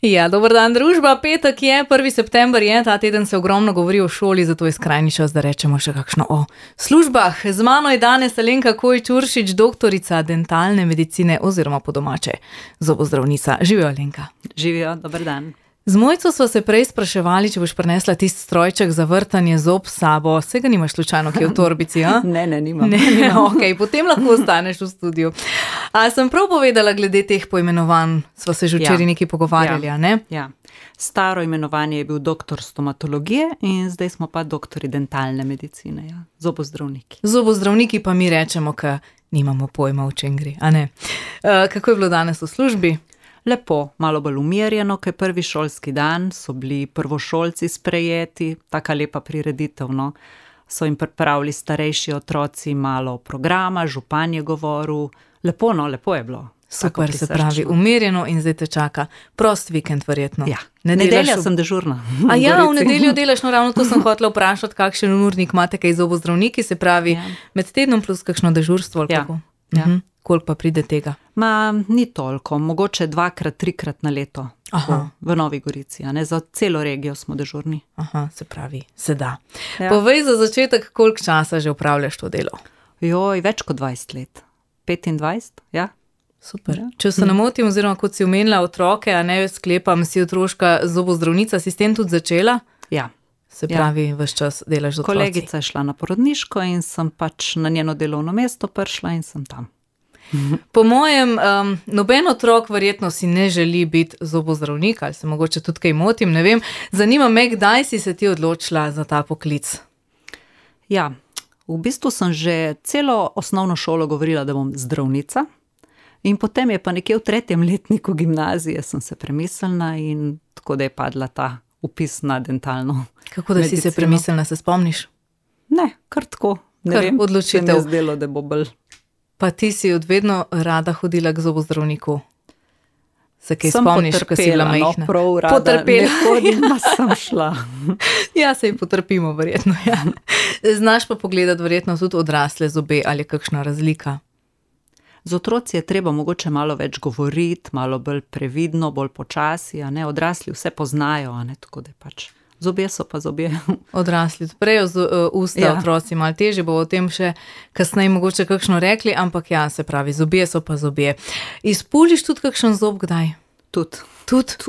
Ja, dober dan, družba. Petek je, 1. september je, ta teden se ogromno govori o šoli, zato je skrajni čas, da rečemo še kakšno o službah. Z mano je danes Alenka Kojčuršič, doktorica dentalne medicine oziroma po domače zobozdravnica. Živijo, Alenka. Živijo, dober dan. Z Mojco sva se prej spraševali, če boš prinesla tisti strojček za vrtanje zob s sabo. Se ga nimaš slučajno kje v torbici, a? Ne, nimam. Okej, potem lahko ostaneš v studiu. A sem prav povedala glede teh poimenovanj? Sva se že včeraj nekaj pogovarjali, a ne? Ja. Staro imenovanje je bil doktor stomatologije in zdaj smo pa doktori dentalne medicine, ja. Zobozdravniki. Zobozdravniki pa mi rečemo, ka nimamo pojma, o čem gre, a ne? Kako je bilo danes v službi? Lepo, malo bolj umirjeno, kaj prvi šolski dan, so bili prvošolci sprejeti, taka lepa prireditev, no. So jim pripravili starejši otroci malo programa, župan je govoril, lepo je bilo. Super, se pravi, umirjeno in zdaj te čaka prost vikend verjetno. Ja, nedelja sem dežurna. A ja, v nedeljo delaš, no ravno to sem hotela vprašati, kakšen urnik imate kaj zobozdravniki, se pravi, med tednom plus kakšno dežurstvo ali kako? Ja. Koliko pa pride tega? Ni toliko, mogoče 2-krat, 3-krat na leto. V Novi Gorici, a ne, za celo regijo smo dežurni. Aha, se pravi, se da. Ja. Povej za začetek, koliko časa že upravljaš to delo? Joj, več kot 20 let. 25, ja. Super. Če se ne motim, oziroma kot si omenila otroke, a ne sklepam, si otroška zobozdravnica, si s tem tudi začela? Ja. Se pravi, ves čas delaš z otroci. Kolegica je šla na porodniško in sem pač na njeno delovno mesto prišla in sem tam. Po mojem, noben otrok verjetno si ne želi biti zobozdravnik, ali se mogoče tudi kaj motim, ne vem. Zanima me, kdaj si se ti odločila za ta poklic? Ja, v bistvu sem že celo osnovno šolo govorila, da bom zdravnica. In potem je pa nekje v 3. letniku gimnazije sem se premislila in tako da je padla ta vpis na dentalno medicino. Kako da si se premislila, se spomniš? Ne, kar tako. Ne vem, odločitev. se mi je zdelo, da bo bolj. Pa ti si od vedno rada hodila k zobozdravniku? Se kaj spomniš, ko si bila majhna? No, prav rada. Potrpela. Ne hodim, pa sem šla. Ja, se ji potrpimo verjetno, ja. Znaš pa pogledati verjetno tudi odrasle zobe, ali je kakšna razlika? Z otroci je treba mogoče malo več govoriti, malo bolj previdno, bolj počasi, a ne, odrasli vse poznajo, a ne, tako da pač. Zobje so pa zobje. Odrasli odprejo usta, otroci malo težje, bo o tem še kasneje mogoče kakšno rekli, ampak ja, se pravi, zobje so pa zobje. Izpuliš tudi kakšen zob kdaj? Tudi?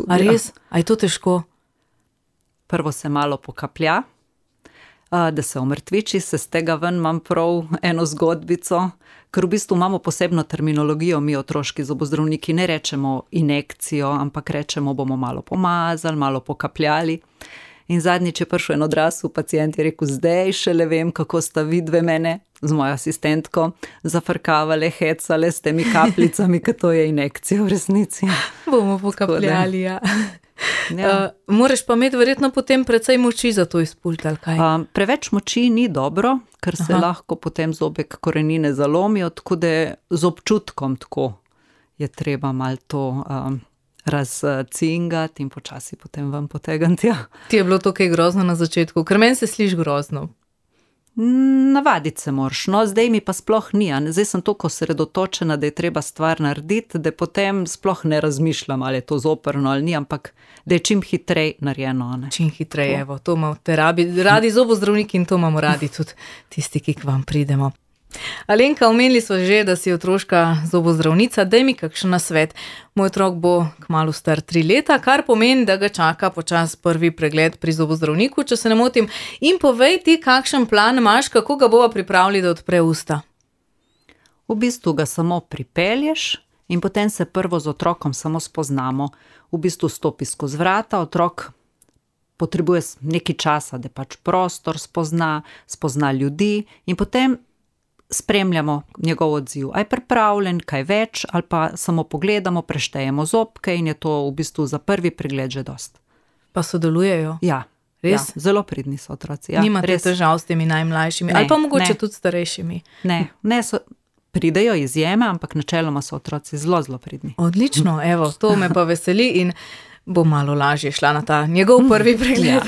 A res? A je to težko? Prvo se malo pokaplja, da se omrtviči, se z tega ven imam prav eno zgodbico, ker v bistvu imamo posebno terminologijo, mi otroški zobozdravniki ne rečemo injekcijo, ampak rečemo, bomo malo pomazali, malo pokapljali. In zadnjič je prišel en odrasel pacient, je rekel, zdaj šele vem, kako sta vidve mene z mojo asistentko zafrkavale, hecale s temi kapljicami, ker to je injekcija v resnici. Bomo pokapljali, ja. Moraš pa imeti verjetno potem precej moči za to izpuliti, ali kaj? Preveč moči ni dobro, ker se lahko potem zobek korenine zalomijo, tako da z občutkom tako je treba malo to razcingati in počasi potem ven potegniti. Ja. Ti je bilo to kaj grozno na začetku? Ker meni se sliši grozno. Navaditi se moraš, no, zdaj mi pa sploh ni, zdaj sem toliko osredotočena, da je treba stvar narediti, da potem sploh ne razmišljam, ali je to zoprno ali ni, ampak da je čim hitrej narejeno. Čim hitrej, evo, to imate radi zobozdravniki in to imamo radi tudi tisti, ki k vam pridemo. Alenka, omenili smo že, da si otroška zobozdravnica, daj mi kakšen nasvet. Moj otrok bo kmalu star 3 leta, kar pomeni, da ga čaka počas prvi pregled pri zobozdravniku, če se ne motim. In povej ti, kakšen plan imaš, kako ga bova pripravili, da odpre usta? V bistvu ga samo pripelješ in potem se prvo z otrokom samo spoznamo. V bistvu stopi skozi vrata, otrok potrebuje nekaj časa, da pač prostor spozna ljudi in potem spremljamo njegov odziv. A je pripravljen, kaj več, ali pa samo pogledamo, preštejemo zobke in je to v bistvu za prvi pregled že dost. Pa sodelujejo? Ja. Res? Ja, zelo pridni so otroci. Ja, nimate težav s temi najmlajšimi? Ali pa mogoče tudi starejšimi? Ne, pridejo izjeme, ampak načeloma so otroci zelo pridni. Odlično, evo, to me pa veseli in bo malo lažje šla na ta njegov prvi pregled.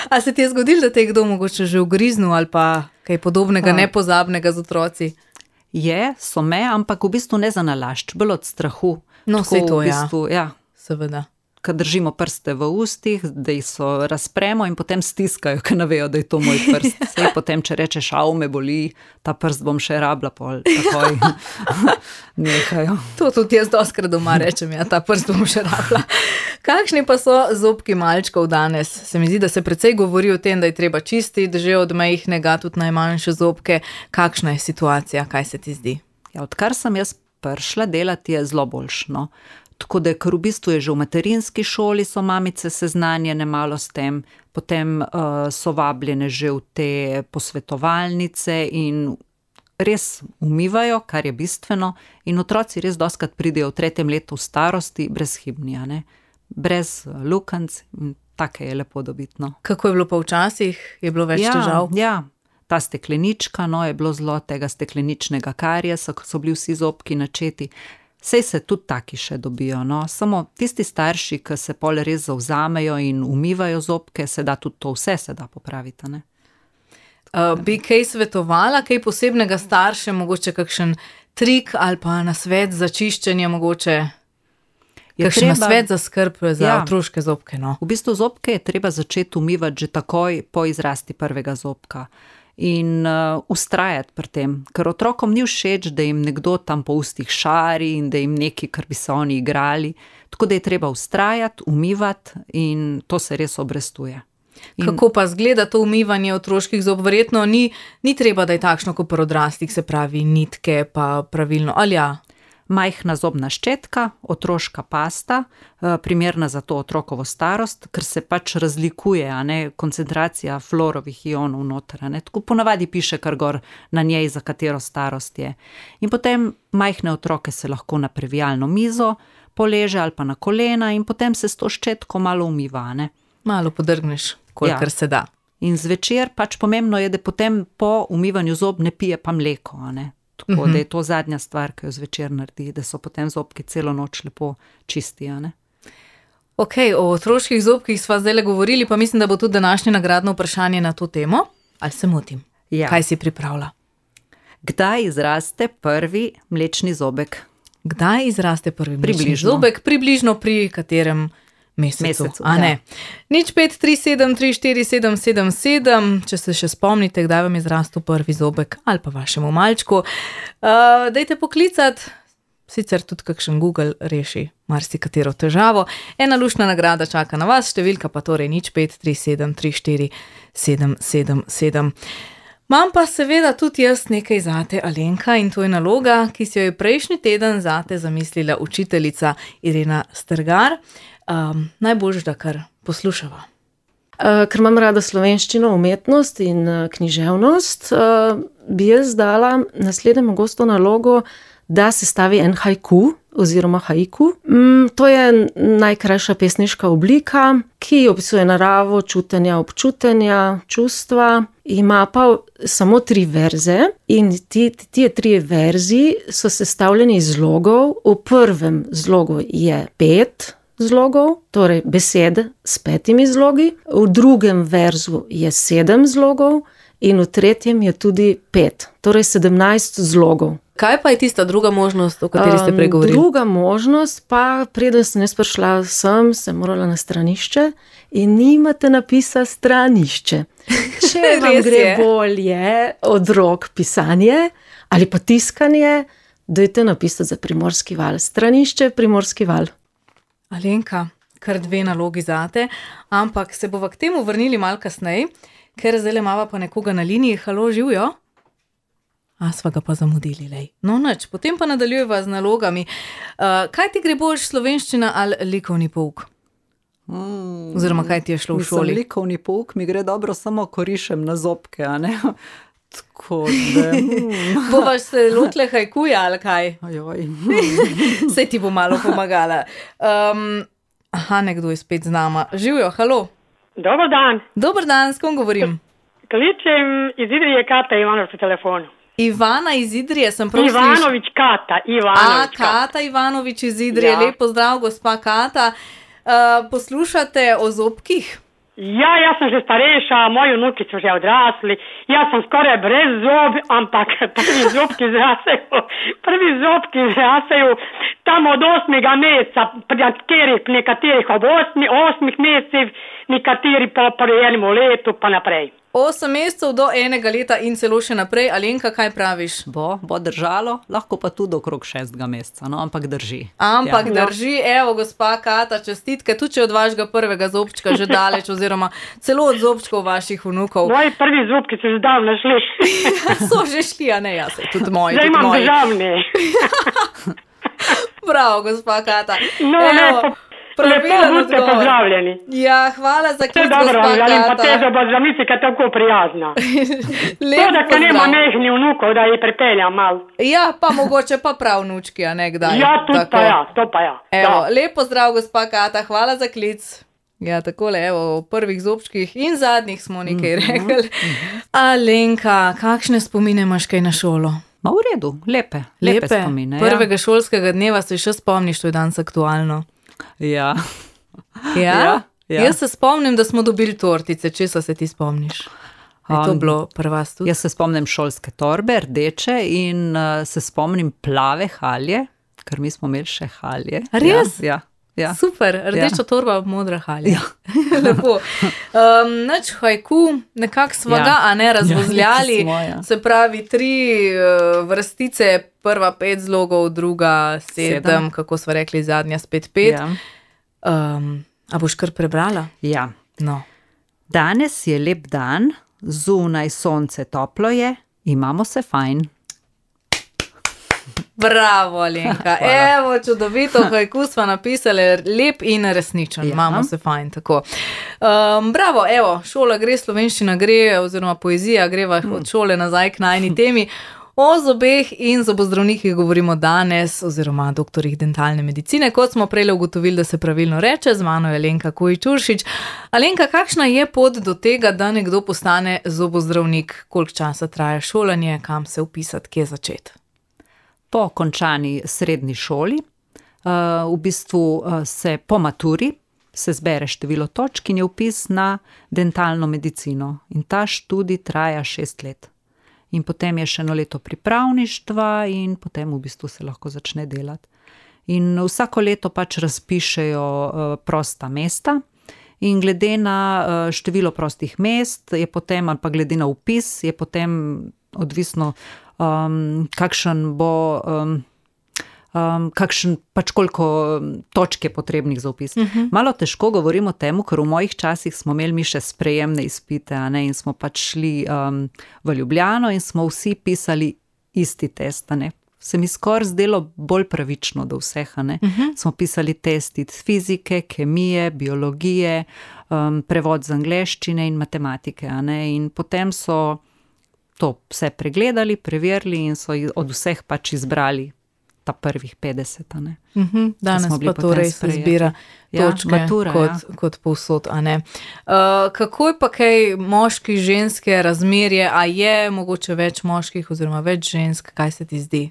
A se ti je zgodilo, da te je kdo mogoče že ugriznil ali pa kaj podobnega, nepozabnega z otroci? So me, ampak v bistvu ne za nalašč, bolj od strahu. No, saj to, v bistvu, ja. Seveda. ko držimo prste v ustih, da jih so razpremo in potem stiskajo, ker ne vejo, da je to moj prst. Sej potem, če rečeš, me boli, ta prst bom še rabila, pol takoj nehajo. To tudi jaz dostkrat doma rečem, ja, ta prst bom še rabila. Kakšni pa so zobki malčkov danes? Se mi zdi, da se precej govori o tem, da je treba čistiti že od majhnega, tudi najmanjše zobke. Kakšna je situacija, kaj se ti zdi? Ja, odkar sem jaz prišla delati, je zelo boljšno. Tako da, ker v bistvu je že v materinski šoli, so mamice seznanjene malo s tem, potem so vabljene že v te posvetovalnice in res umivajo, kar je bistveno, in otroci res dostikrat pridejo v 3. letu starosti brezhibni, a ne? Brez lukenc, in take je lepo dobiti, no. Kako je bilo pa včasih? Je bilo več težav? Ja, ta steklenička, no, je bilo zelo tega stekleničnega kariesa, ko so bili vsi zobki načeti. Sej se tudi taki še dobijo, no, samo tisti starši, ki se pol res zavzamejo in umivajo zobke, se da tudi to vse se da popraviti, ne. Bi kaj svetovala, kaj posebnega starše, mogoče kakšen trik ali pa nasvet za čiščenje, mogoče kakšen nasvet za skrb za otroške zobke, no. V bistvu zobke je treba začeti umivati že takoj po izrasti prvega zobka. In vztrajati pri tem, ker otrokom ni všeč, da jim nekdo tam po ustih šari in da jim neki, kar bi se oni igrali. Tako da je treba vztrajati, umivati in to se res obrestuje. Kako pa zgleda to umivanje otroških zob? Verjetno ni treba, da je takšno kot pri odraslih, se pravi nitke pa pravilno, ali ja? Majhna zobna ščetka, otroška pasta, primerna za to otrokovo starost, ker se pač razlikuje, a ne, koncentracija fluorovih ionov noter, a ne, tako ponavadi piše kar gor na njej, za katero starost je. In potem majhne otroke se lahko na previjalno mizo poleže ali pa na kolena in potem se s to ščetko malo umiva, a ne. Malo podrgneš, kolikor se da. In zvečer pač pomembno je, da potem po umivanju zob ne pije pa mleko, a ne. Tako da je to zadnja stvar, ki jo zvečer naredi, da so potem zobki celo noč lepo čisti, a ne. Ok, o otroških zobkih sva zdajle govorili, pa mislim, da bo tudi današnje nagradno vprašanje na to temo. Ali se motim? Ja. Kaj si pripravila? Kdaj izraste prvi mlečni zobek? Kdaj izraste prvi mlečni zobek? Približno pri katerem mesecu, a ne. 0537347777, če se še spomnite, kdaj vam je zrastel prvi zobek ali pa vašemu malčku. Dajte poklicati, sicer tudi kakšen Google reši marsikatero težavo. Ena luštna nagrada čaka na vas, številka pa torej 0537347777. Imam pa seveda tudi jaz nekaj zate, Alenka, in to je naloga, ki si jo je prejšnji teden zate zamislila učiteljica Irena Strgar. Najboljš, da kar poslušava. Ker imam rada slovenščino, umetnost in književnost, bi jaz dala naslednjemu gostu nalogo, da sestavi en haiku oziroma haiku. To je najkrajša pesniška oblika, ki opisuje naravo, čutenja, občutenja, čustva. Ima pa samo 3 verze in ti 3 verzi so sestavljeni iz zlogov. V prvem zlogu je 5 zlogov, torej besede s 5 zlogi. V drugem verzu je 7 zlogov in v tretjem je tudi 5, torej 17 zlogov. Kaj pa je tista druga možnost, o kateri ste pregovorili? Druga možnost pa, preden sem jaz prišla sem morala na stranišče in nimate napisa stranišče. Če vam gre bolje od rok pisanje ali pa tiskanje, dajte napisati za Primorski val. Stranišče, Primorski val. Alenka, kar 2 nalogi zate, ampak se bova k temu vrnili malo kasneje, ker zdaj imava pa nekoga na liniji. Halo, živjo? Sva ga pa zamudili, lej. No, nič, potem pa nadaljujeva z nalogami. Kaj ti gre boljš, slovenščina ali likovni pouk? Oziroma, kaj ti je šlo v šoli? Likovni pouk mi gre dobro, samo ko rišem na zobke, a ne? Tako da... Bovaš se lotile haikuja ali kaj? Ajoj. Sej ti bo malo pomagala. Nekdo je spet z nama. Živjo, halo. Dobar dan. Dobar dan, s kom govorim? Kličem iz Idrije, Kata Ivanović po telefonu. Ivana iz Idrije, sem prav Ivanović, Kata Ivanović. Kata Ivanović iz Idrije. Ja. Lep pozdrav, gospa Kata. Poslušate o zobkih? Ja, jaz sem že starejša, moji vnuki so že odrasli, jaz sem skoraj brez zob, ampak prvi zobki zrasejo tam od 8. meseca, nekaterih ob 8 mesecih, nekateri po enem letu pa naprej. 8 mesecev do 1 leta in celo še naprej. Alenka, kaj praviš? Bo držalo, lahko pa tudi okrog 6. meseca, no, ampak drži. Ampak drži, evo, gospa Kata, čestitke, tudi če od vašega prvega zobčka že daleč, oziroma celo od zobčkov vaših vnukov. Moji prvi zobki so že davno šli. So že šli, a ne, jaz, tudi moji. Zdaj imam državni. Bravo, gospa Kata. No, evo, pravilen budite odgovor. pozdravljeni. Ja, hvala za klic, Dobro, gospa želim pa Kata. te zobozdravnice, ki je tako prijazna. Lep To, da nema pozdrav. mehni vnukov, da jih pripeljam malo. Ja, pa mogoče pa prav vnučki, a ne kdaj. Ja, tudi Tako. pa ja, to pa ja. Evo, Ja. lep pozdrav, gospa Kata, hvala za klic. Ja, takole, evo, o prvih zobčkih in zadnjih smo nekaj rekli. Alenka, kakšne spomine imaš kaj na šolo? Ma v redu, lepe spomine. Prvega šolskega dneva se še spomniš, to je danes aktualno. Ja. Ja? Ja. Jaz se spomnim, da smo dobili tortice, česa se ti spomniš? Je to bilo prvas tudi? Jaz se spomnim šolske torbe, rdeče, in se spomnim plave halje, ker mi smo imeli še halje. Res? Ja. Ja. Super, rdeča torba, modra halja. Ja. Lepo. Nač haiku, nekako sva ga, a ne, razvozljali. Ja, smo, ja. Se pravi, 3 vrstice, prva 5 zlogov, druga 7, kako sva rekli, zadnja spet 5. Ja. A boš kar prebrala? Ja. No. Danes je lep dan, zunaj sonce toplo je, imamo se fajn. Bravo, Alenka. Evo, čudovito, haiku sva napisali, lep in resničen. Ja. Imamo se fajn, tako. Bravo, evo, šola gre, slovenščina gre, oziroma poezija greva od šole nazaj k najni temi. O zobeh in zobozdravnikih govorimo danes, oziroma doktorjih dentalne medicine, kot smo prej ugotovili, da se pravilno reče, z mano je Alenka Kojić-Uršič. Alenka, kakšna je pot do tega, da nekdo postane zobozdravnik? Koliko časa traja šolanje, kam se vpisati, kje začeti? Po končani srednji šoli, v bistvu se po maturi, se zbere število točk in je vpis na dentalno medicino. In ta študij traja 6 let. In potem je še 1 leto pripravništva in potem v bistvu se lahko začne delati. In vsako leto pač razpišejo prosta mesta in glede na število prostih mest je potem, ali pa glede na vpis, je potem odvisno, kakšen bo, pač koliko točk je potrebnih za vpis. Malo težko govorimo o tem, ker v mojih časih smo imeli mi še sprejemne izpite, a ne, in smo pač šli v Ljubljano in smo vsi pisali isti test, a ne. Se mi skoraj zdelo bolj pravično do vseh, a ne. Smo pisali test iz fizike, kemije, biologije, prevod z angleščine in matematike, a ne. In potem so to vse pregledali, preverili in so od vseh pač izbrali ta prvih 50, a ne. Danes pa to res izbira točke, matura, kot povsod, a ne. Kako je pa kaj moški, ženske razmerje, a je mogoče več moških oziroma več žensk, kaj se ti zdi?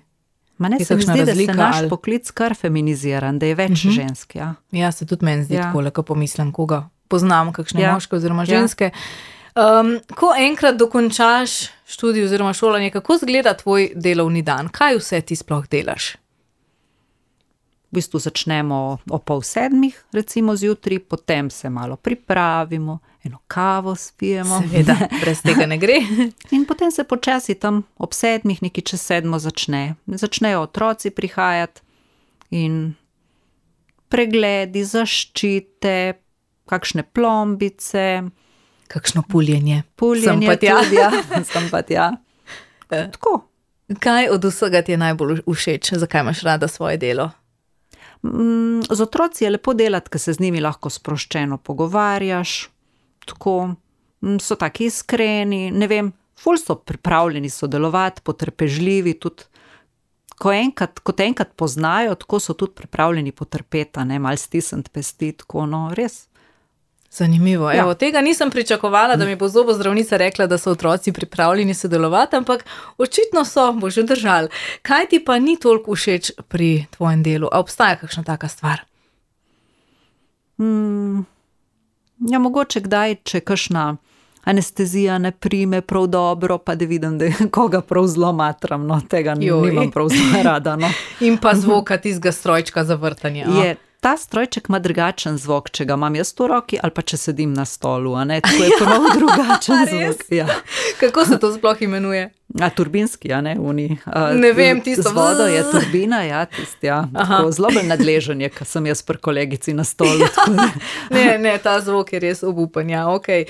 Ma ne, se mi zdi, da se naš poklic kar feminiziran, da je več žensk, ja. Ja, se tudi meni zdi takole, ko pomislim, koga poznam, kakšne moške oziroma ženske. Ko enkrat dokončaš študij oziroma šolanje, kako izgleda tvoj delovni dan? Kaj vse ti sploh delaš? V bistvu začnemo o 6:30, recimo zjutraj, potem se malo pripravimo, eno kavo spijemo. Seveda, brez tega ne gre. In potem se počasi tam ob 7, nekaj čez 7 začne. Začnejo otroci prihajati in pregledi, zaščite, kakšne plombice. Kakšno puljenje. Puljenje tudi, ja. Sem pa tja. Tako. Kaj od vsega ti je najbolj všeč? Zakaj imaš rada svoje delo? Z otroci je lepo delati, ker se z njimi lahko sproščeno pogovarjaš, tako, so taki iskreni, ne vem, ful so pripravljeni sodelovati, potrpežljivi, tudi, ko te enkrat poznajo, tako so tudi pripravljeni potrpeti, ne, malo stisniti pesti, tako, no, res. Zanimivo. Evo, tega nisem pričakovala, da mi bo zobozdravnica rekla, da so otroci pripravljeni sodelovati, ampak očitno so, bo že držali. Kaj ti pa ni toliko všeč pri tvojem delu? A obstaja kakšna taka stvar? Ja, mogoče kdaj, če kakšna anestezija ne prime prav dobro, pa da vidim, da koga prav zelo matram, no, tega nimam prav zelo rada, no. In pa zvoka tistega strojčka za vrtanje. Je, ta strojček ima drugačen zvok, če ga imam jaz v roki ali pa če sedim na stolu, a ne, tako je prav drugačen zvok. Ja. Kako se to sploh imenuje? Turbinski, a ne, ne vem, tisto. Z vodo je turbina, ja, tisti, ja. Tako zelo bolj nadležen je, ko sem jaz pri kolegici na stolu. Ne, ta zvok je res obupen, ja, okej.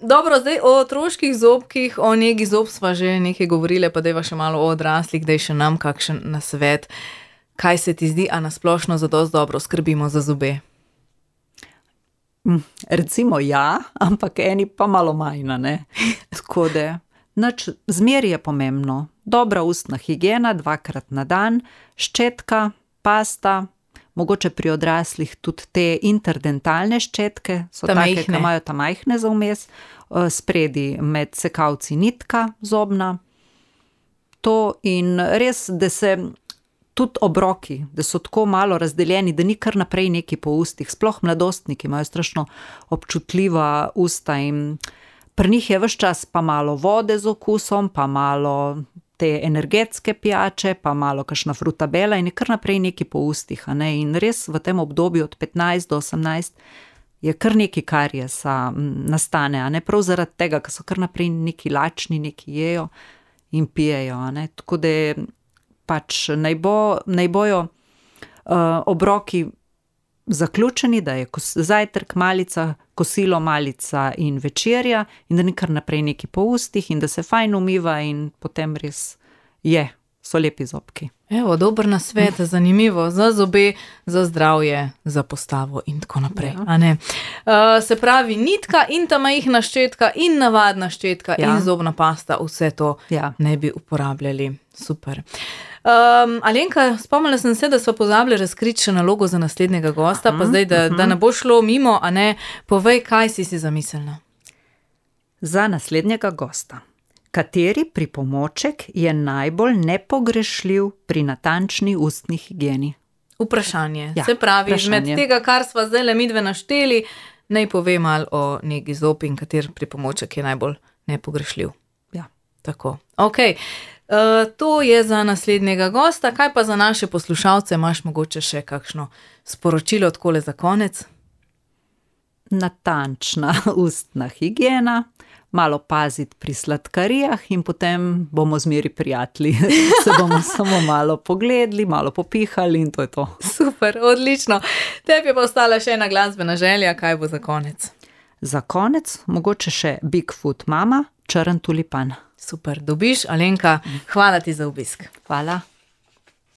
Dobro, zdaj o otroških zobkih, o negi zob sva že nekaj govorile, pa dajva še malo o odraslih, daj še nam kakšen nasvet. Kaj se ti zdi, a nasplošno zadosti dobro skrbimo za zobe? Recimo ja, ampak eni pa malo manj, ne. Tako da, zmeri je pomembno. Dobra ustna higiena 2-krat na dan, ščetka, pasta, mogoče pri odraslih tudi te interdentalne ščetke, so take, ki imajo ta majhne za vmes, spredi med sekavci nitka zobna. To in res, da se tudi obroki, da so tako malo razdeljeni, da ni kar naprej neki po ustih, sploh mladostniki imajo strašno občutljiva usta in pri njih je ves čas pa malo vode z okusom, pa malo te energetske pijače, pa malo kakšna frutabela in je kar naprej neki po ustih, a ne, in res v tem obdobju od 15 do 18 je kar neki kariesa nastane, a ne, prav zaradi tega, ker so kar naprej neki lačni, neki jejo in pijejo, a ne, tako da pač naj bojo obroki zaključeni, da je zajtrk, malica, kosilo, malica in večerja in da ni kar naprej neki po ustih in da se fajn umiva in potem res so lepi zobki. Evo, dober nasvet, zanimivo, za zobe, za zdravje, za postavo in tako naprej, a ne. Se pravi, nitka in ta majhna ščetka in navadna ščetka in zobna pasta, vse to ne bi uporabljali. Super. Alenka, spomnila sem se, da smo pozabili razkriti še nalogo za naslednjega gosta, pa zdaj, da ne bo šlo mimo, a ne, povej, kaj si zamislila. Za naslednjega gosta. Kateri pripomoček je najbolj nepogrešljiv pri natančni ustni higieni? Vprašanje. Se pravi, med tega, kar sva zdaj midve našteli, naj pove malo o negi zob in kateri pripomoček je najbolj nepogrešljiv. Ja. Tako. Okej. To je za naslednjega gosta, kaj pa za naše poslušalce, imaš mogoče še kakšno sporočilo takole za konec? Natančna ustna higiena, malo paziti pri sladkarijah in potem bomo zmeri prijatelji. Se bomo samo malo pogledali, malo popihali in to je to. Super, odlično. Tebi je pa ostala še ena glasbena želja, kaj bo za konec? Za konec mogoče še Bigfoot mama, Črn tulipan. Super, dobiš, Alenka, hvala ti za obisk. Hvala.